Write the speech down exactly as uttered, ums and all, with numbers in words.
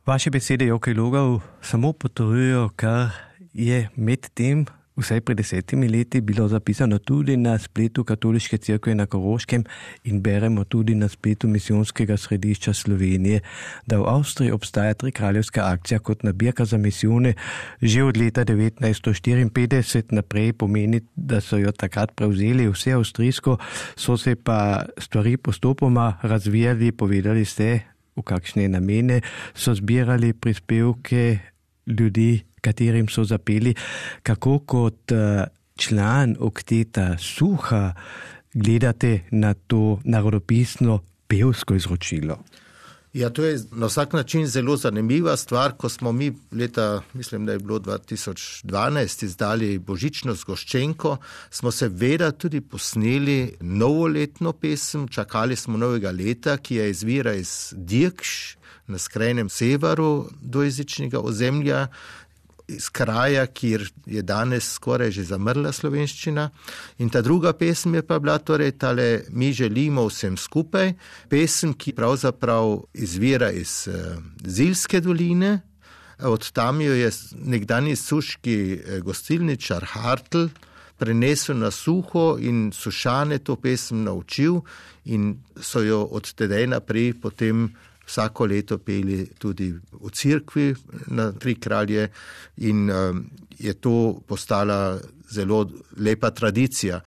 Vaše besede, Jokej Logov, samo potrjujejo, kar je med tem, vsaj pred desetimi leti, bilo zapisano tudi na spletu Katoliške cerkve na Koroškem in beremo tudi na spletu Misijonskega središča Slovenije, da v Avstriji obstaja trikraljevska akcija kot nabirka za misijone že od leta devetnajststo štiriinpetdeset naprej, pomeni, da so jo takrat prevzeli vse avstrijsko, so se pa stvari postopoma razvijali, povedali ste, v kakšne namene so zbirali prispevke ljudi, katerim so zapeli, kako kot član okteta Suha gledate na to narodopisno pevsko izročilo? Ja, to je na vsak način zelo zanimiva stvar, ko smo mi leta, mislim, da je bilo dva tisoč dvanajst, izdali božično zgoščenko, smo seveda tudi posneli novoletno pesem, čakali smo novega leta, ki je izvira iz Dirkš, na skrajnem severu dvojezičnega ozemlja, iz kraja, kjer je danes skoraj že zamrla slovenščina. In ta druga pesem je pa bila torej tale Mi želimo vsem skupaj, pesem, ki pravzaprav izvira iz uh, Zilske doline. Od tam jo je nekdanji suški gostilničar Hartl prenesel na Suho in Sušane to pesem naučil in so jo od tedaj naprej potem vsako leto peli tudi v cerkvi na Tri kralje in um, je to postala zelo lepa tradicija.